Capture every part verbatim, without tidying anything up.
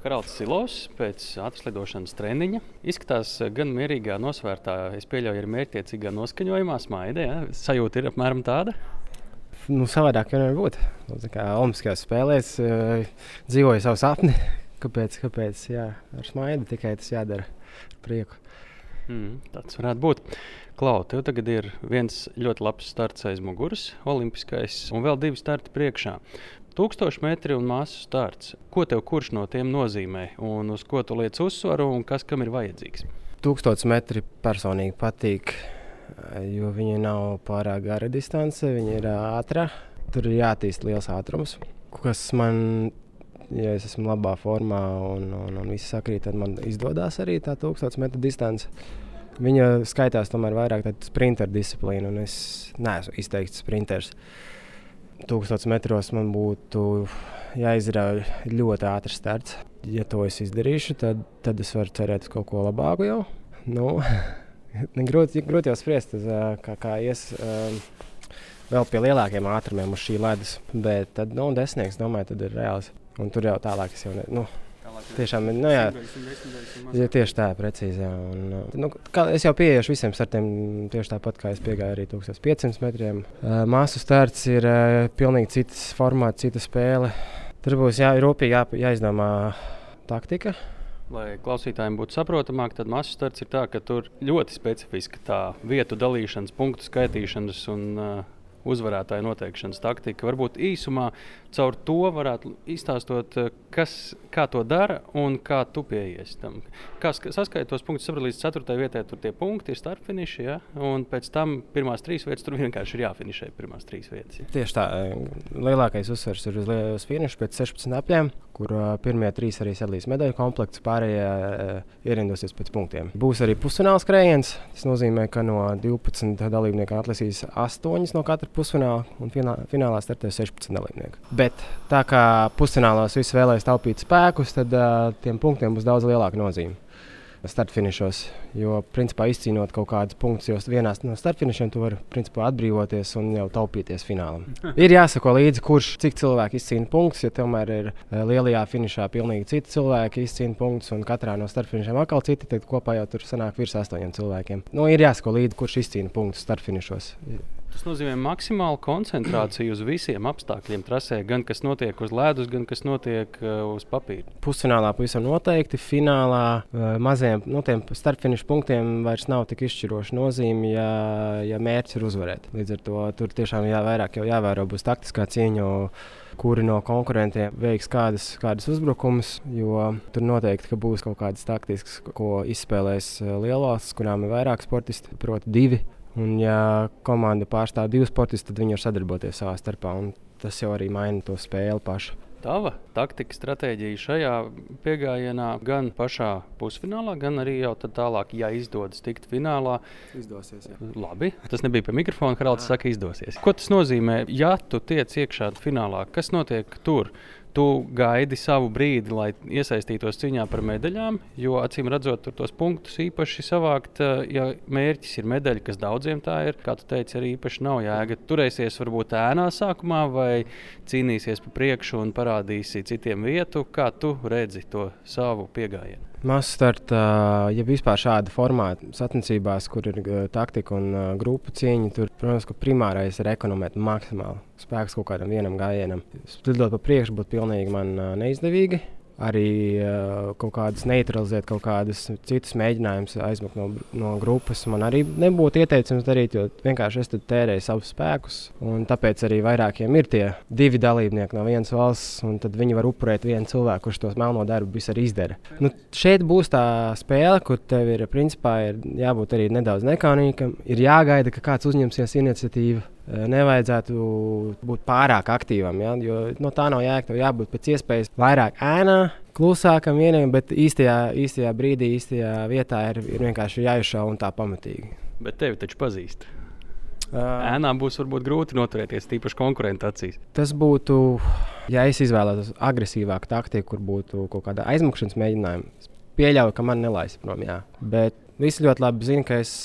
Karalds Silovs pēc atveslidošanas treniņa. Izskatās gan mierīgā, nosvērtā, es pieļauju, ir mērķtiecīgā noskaņojumā, smaida. Ja? Sajūta ir apmēram tāda? Nu, savādāk jau nevar būt. Tā kā olimpiskajās spēlēs uh, dzīvoju savu sapni. Kāpēc? Kāpēc? Jā, ar smaidu tikai tas jādara ar prieku. Mm, tāds varētu būt. Klau, tev tagad ir viens ļoti labs starts aiz muguras, olimpiskais, un vēl divi starti priekšā. Tūkstoši metri un māsu starts. Ko tev kurš no tiem nozīmē, un uz ko tu liec uzsvaru, un kas kam ir vajadzīgs? Tūkstotis metri personīgi patīk, jo viņi nav pārāk gara distance, viņi ir ātrā. Tur ir jātīst liels ātrums, kas man, ja es esmu labā formā un, un, un viss sakrīt, tad man izdodas arī tā tūkstotis metru distance. Viņa skaitās tomēr vairāk tāda sprinter disciplīna, un es neesmu izteikts sprinters. Tūkstotis metros man būtu jāizrauj ļoti ātrs starts. Ja to es izdarīšu, tad, tad es varu cerēt uz kaut ko labāku jau. Nu, grūti, grūti jau spriest, kā, kā ies um, vēl pie lielākiem ātrumiem uz šī ledus. Bet tad, nu, desmitnieks, domāju, tad ir reāls. Un tur jau tālāk es jau ne... Nu, tiešām, nu jā, ja tieši tā, precīzi, jā. Un, nu, kā, es jau pieejuši visiem startiem tieši tāpat, kā es piegāju arī tūkstoš piecsimt metriem. Uh, māsu starts ir uh, pilnīgi cits formāts, cita spēle. Tur būs jā, rūpīgi jā, jāizdomā taktika. Lai klausītājiem būtu saprotamāk, tad māsu starts ir tā, ka tur ļoti specifiska tā vietu dalīšanas, punktu skaitīšanas un uh, uzvarētāju noteikšanas taktika. Varbūt īsumā caur to varētu izstāstot, kas, kā to dara un kā tu pieies tam. Kā saskaita tos punktus, saprot, līdz ceturtajai vietai tur tie punkti ir startfiniši, ja? Un pēc tam pirmās trīs vietas tur vienkārši ir jāfinišē pirmās trīs vietas. Ja? Tieši tā. Lielākais uzsvars ir uz, uz finišu pēc sešpadsmit apļiem, kur uh, pirmie trīs arī sadalīs medaļu komplektus, pārējie uh, ierindosies pēc punktiem. Būs arī pusfināla skrējiens. Tas nozīmē, ka no divpadsmit dalībnieku atlasīs astoņas no katra pusfināla un finālā, finālā startēs sešpadsmit dalībnieku. Bet tā kā pusfinālos visi vēlēs taupīt spēkus, tad uh, tiem punktiem būs daudz lielāka nozīme startfinišos, jo principā izcīnot kaut kādus punktus, jo vienā no startfinišiem tu vari principā atbrīvoties un jau taupīties finālam. Ir jāsako līdzi, kurš cik cilvēki izcīna punktus, jo tomēr ir lielajā finišā pilnīgi citi cilvēki izcīna punktus un katrā no startfinišiem atkal citi, tad kopā jau tur sanāk virs astoņiem cilvēkiem. Nu, ir jāsako līdzi, kurš izcīna punktus startfinišos. Tas nozīmē maksimālu koncentrāciju uz visiem apstākļiem trasē, gan kas notiek uz ledus, gan kas notiek uh, uz papīra. Pusfinālā pavisam noteikti, finālā uh, maziem nu, startfinišu punktiem vairs nav tik izšķiroša nozīme, ja, ja mērķis ir uzvarēt. Līdz ar to tur tiešām jā, vairāk jau jāvēro būs taktiskā cīņa, kuri no konkurentiem veiks kādas, kādas uzbrukumus, jo tur noteikti ka būs kaut kādas taktiskas, ko izspēlēs lielvalstis, kurām ir vairāk sportisti, proti divi. Un, ja komanda pārstāv divus sportistus, tad viņi var sadarboties savā starpā. Tas jau arī maina to spēli pašu. Tava taktika stratēģija šajā piegājienā gan pašā pusfinālā, gan arī jau tālāk, ja izdodas tikt finālā. Izdosies, jā. Labi, tas nebija pie mikrofona, Haralds saka izdosies. Ko tas nozīmē, ja tu tiec iekšā finālā? Kas notiek tur? Tu gaidi savu brīdi, lai iesaistītos cīņā par medaļām, jo acīm redzot tur tos punktus īpaši savākt, ja mērķis ir medaļa, kas daudziem tā ir, kā tu teici, arī īpaši nav jēga. Turēsies varbūt ēnā sākumā vai cīnīsies pa priekšu un parādīsi citiem vietu, kā tu redzi to savu piegājienu. Masu starta, ja vispār šāda formāta sacensībās, kur ir uh, taktika un uh, grupu cīņa, tur, protams, ka primārais ir ekonomēt maksimāli spēks kaut kādam vienam gājienam. Slidot pa priekšu būtu pilnīgi man uh, neizdevīgi. Arī uh, kaut kādas neutralizēt, kaut kādas citas mēģinājumus aizmukt no, no grupas man arī nebūtu ieteicams darīt, jo vienkārši es tad tērēju savus spēkus. Un tāpēc arī vairākiem ir tie divi dalībnieki no vienas valsts, un tad viņi var upurēt vienu cilvēku, kurš tos melno darbu visu arī izdara. Nu, šeit būs tā spēle, kur tev ir, principā, ir jābūt arī nedaudz nekaunīgam, ir jāgaida, ka kāds uzņemsies iniciatīvu. Nevajadzētu būt pārāk aktīvam, ja? Jo no tā nav jēga. Tev jābūt pēc iespējas vairāk ēnā, klusākam vienam, bet īstajā, īstajā brīdī, īstajā vietā ir, ir vienkārši jāizšauj un tā pamatīgi. Bet tevi taču pazīst. Uh, Ēnā būs varbūt grūti noturēties, tīpaši konkurentu acīs. Tas būtu, ja es izvēlētos agresīvāku taktiku, kur būtu kaut kāda aizmukšanas mēģinājuma. Pieļauju, ka man nelaist prom, jā. Bet visi ļoti labi zina, ka es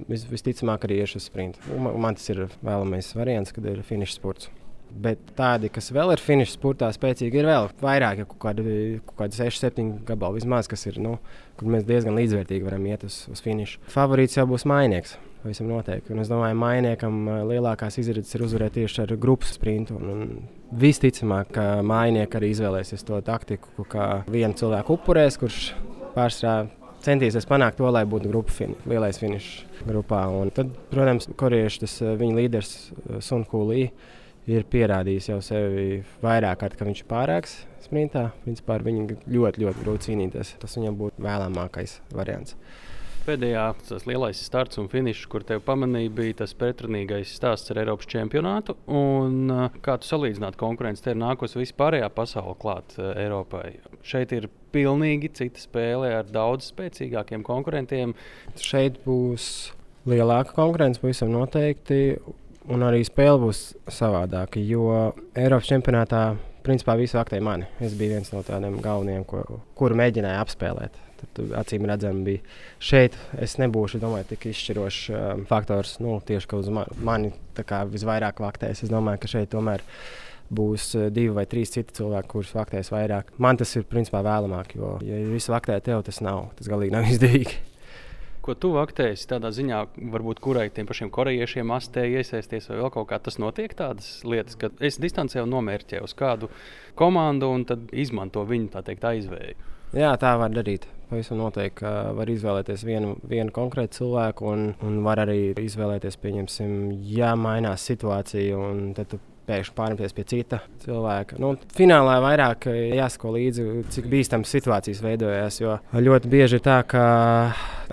Vis, visticamāk arī iešu uz sprintu. Man, man tas ir vēlamais variants, kad ir finiša sports. Bet tādi, kas vēl ir finiša sportā spēcīgi, ir vēl vairāk, ja kaut kādi, kaut kādi seši, septiņi gabali vismaz, kas ir, nu, kur mēs diezgan līdzvērtīgi varam iet uz, uz finišu. Favorīts jau būs Mainieks, visam noteikti. Un es domāju, Mainiekam lielākās izredzes ir uzvarēt tieši ar grupas sprintu. Un, un visticamāk, ka Mainieki arī izvēlēsies to taktiku, kā vienu cilvēku upurēs, kurš pārstrā centīsies panākt to, lai būtu grupa fini, lielais finišs grupā. Un tad, protams, korieši, tas viņa līderis Sun Hu Lee ir pierādījis jau sevi vairāk kārt, ka viņš ir pārāks sprintā. Principā ar viņu ļoti, ļoti grūti cīnīties. Tas viņam būtu vēlamākais variants. Pēdējā tas lielais starts un finišs, kur tev pamanīja, bija tas pretrunīgais stāsts ar Eiropas čempionātu. Un, kā tu salīdzinātu konkurenci, te ir nākusi vispārējā pasaule klāt Eiropai. Šeit ir pilnīgi cita spēle ar daudz spēcīgākiem konkurentiem. Šeit būs lielāka konkurence, pavisam noteikti. Un arī spēle būs savādāka, jo Eiropas čempionātā principā visi vaktēja mani. Es biju viens no tādiem galvenajiem, ko, kuru mēģināju apspēlēt. Tad, acīm redzami, bija šeit. Es nebūšu, domāju, tik izšķirošs um, faktors, nu, tieši ka uz mani, mani kā, visvairāk vaktēs. Es domāju, ka šeit tomēr būs uh, divi vai trīs citi cilvēki, kurus vaktēs vairāk. Man tas ir principā vēlamāk, jo, ja visi vaktē tev, tas nav, tas galīgi nav izdevīgi. Ko tu vaktēsi tādā ziņā, varbūt kurai tiem pašiem korejiešiem astēji iesaisties vai vēl kaut kā, tas notiek tādas lietas, ka es distancē un nomērķēju uz kādu komandu un tad izmanto viņu, tā teikt, aizvēju? Jā, tā var darīt. Pavisam noteikti, ka var izvēlēties vienu, vienu konkrētu cilvēku un, un var arī izvēlēties, pieņemsim, ja mainās situācija un tad tu pēkšņi pārņemties pie cita cilvēka. Nu, finālā vairāk jāsako līdzi, cik bīstamas situācijas veidojās, jo ļoti bieži ir tā, ka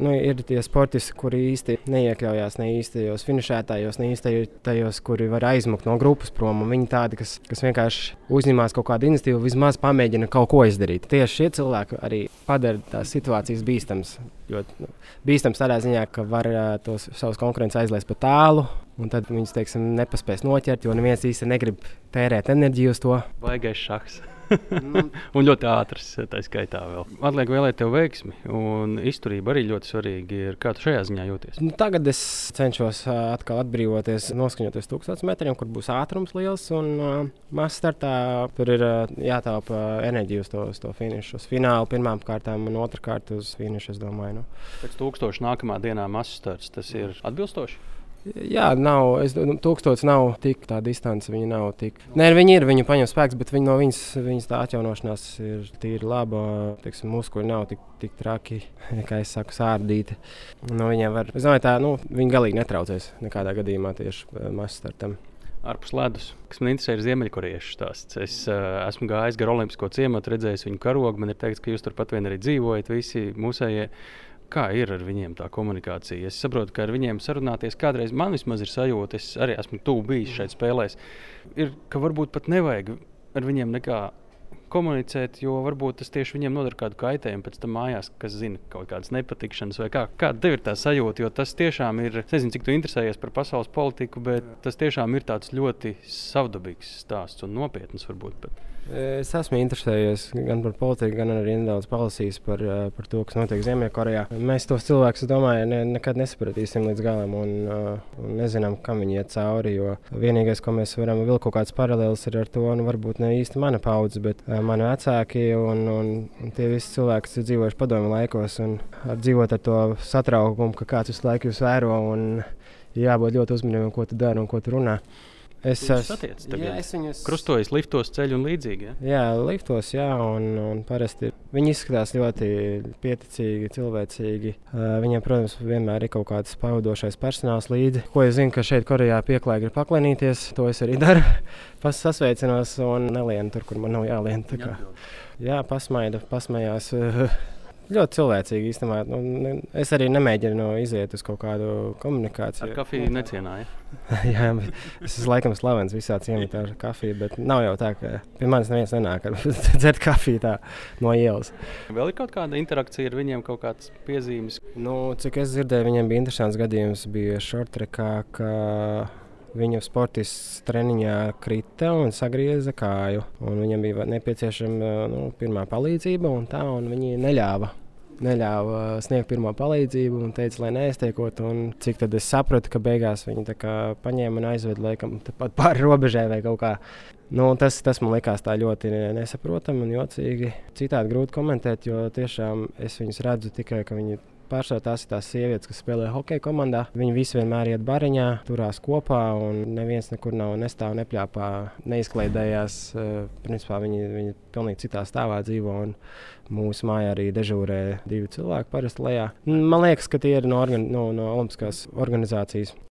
nu, ir tie sportisti, kuri īsti neiekļaujās ne īstajos finišētājos, ne īstajos, kuri var aizmukt no grupas prom. Viņi tādi, kas, kas vienkārši uzņemās kaut kādu iniciatīvu, vismaz pamēģina kaut ko izdarīt. Tieši šie cilvēki arī padara tās situācijas bīstamas. Ļoti nu, bīstams tādā ziņā, ka var uh, tos savus konkurentus aizlaist pa tālu, un tad viņus, teiksim, nepaspēs noķert, jo neviens īsti negrib tērēt enerģiju uz to. Baigais šahs. Un ļoti ātrs, tā skaitā vēl. Atliek vēlēt tev veiksmi, un izturība arī ļoti svarīgi ir. Kā tu šajā ziņā jūties? Nu, tagad es cenšos uh, atkal atbrīvoties, noskaņoties tūkstotis metriem, kur būs ātrums liels, un uh, mazs startā tur ir uh, jātaupa enerģija uz to, uz to finišu. Uz finālu pirmām kārtām un otrkārt uz finišu, es domāju. Nu. Pēc tūkstoša nākamā dienā mazs starts, tas ir atbilstoši? Jā, nav, es, tūkstotis nav tik tā distance, viņa nav tik. Nē, viņi ir, viņu paņem spēks, bet viņi no viņas, viņas tā atjaunošanās ir tīri laba. Teiksim, muskuļi nav tik, tik traki, kā es saku, sārdīti. No viņiem var, es domāju, tā, nu, viņi galīgi netraucēs nekādā gadījumā tieši mazstartam. Ārpus ledus, kas man interesē, ir ziemeļkorejiešu stāsts. Es uh, esmu gājis gar Olimpisko ciematu, redzējis viņu karogu. Man ir teikts, ka jūs turpat vien arī dzīvojat, visi mūsējie. Kā ir ar viņiem tā komunikācija? Es saprotu, ka ar viņiem sarunāties kādreiz man vismaz ir sajūta, es arī esmu tuvu bijis šeit spēlēs, ir, ka varbūt pat nevajag ar viņiem nekā komunicēt, jo varbūt tas tieši viņiem nodara kādu kaitējumu pēc tam mājās, kas zina kaut kādas nepatikšanas vai kā. Kāda tev ir tā sajūta, jo tas tiešām ir, es nezinu, cik tu interesējies par pasaules politiku, bet tas tiešām ir tāds ļoti savdabīgs stāsts un nopietns varbūt pat. Es esmu interesējies gan par politiku, gan arī nedaudz palasījis par, par to, kas notiek Ziemeļkorejā. Mēs tos cilvēkus, es domāju, ne, nekad nesapratīsim līdz galam un, un nezinām, kam viņi iet cauri, jo vienīgais, ko mēs varam vilkt kaut kāds paralēlis ir ar to, nu varbūt ne īsti mana paudze, bet mani vecāki un, un, un tie visi cilvēki, kas ir dzīvojuši padomju laikos un ar dzīvot ar to satraukumu, ka kāds visu laiku jūs vēro un jābūt ļoti uzmanīgam, ko tu dari un ko tu runā. Es esmu krustojis liftos, ceļu un līdzīgi. Ja? Jā, liftos, jā, un, un parasti viņi izskatās ļoti pieticīgi, cilvēcīgi. Uh, viņiem, protams, vienmēr ir kaut kāds pavadošais personāls līdzi. Ko es zinu, ka šeit Korejā pieklājīgi ir paklenīties, to es arī daru. Pas sasveicinos un nelienu tur, kur man nav jālien. Tā kā, jā, pasmaida, pasmējās. Ļoti cilvēcīgi īstenībā. Nu, es arī nemēģinu iziet uz kaut kādu komunikāciju. Ar kafiju necienāja? Jā, es esmu laikam slavens visā ciematā ar kafiju, bet nav jau tā, ka pie manis neviens nenāk ar dzert kafiju tā no ielas. Vēl ir kaut kāda interakcija ar viņiem, kaut kāds piezīmes? Nu, cik es dzirdēju, viņiem bija interesants gadījums, bija shorttrackā, ka viņa sportists treniņā krita un sagrieza kāju. Un viņam bija nepieciešama nu, pirmā palīdzība, un tā, un viņi neļāva neļāva sniegt pirmo palīdzību un teica, lai neiztiekot. Un cik tad es sapratu, ka beigās viņi tā kā paņēma un aizveda laikam pat pāri robežai vai kaut kā. Nu, tas, tas man likās tā ļoti nesaprotami un jocīgi. Citādi grūti komentēt, jo tiešām es viņus redzu tikai, ka viņi pārsvarā tās ir tās sievietes, kas spēlē hokeja komandā. Viņi visi vienmēr iet bariņā, turās kopā un neviens nekur nav nestāv, nepļāpā, neizklaidējās. Principā viņi, viņi pilnīgi citā stāvā dzīvo un mūsu mājā arī dežūrē divi cilvēki parasti lejā. Man liekas, ka tie ir no, organ, no, no Olimpiskās organizācijas.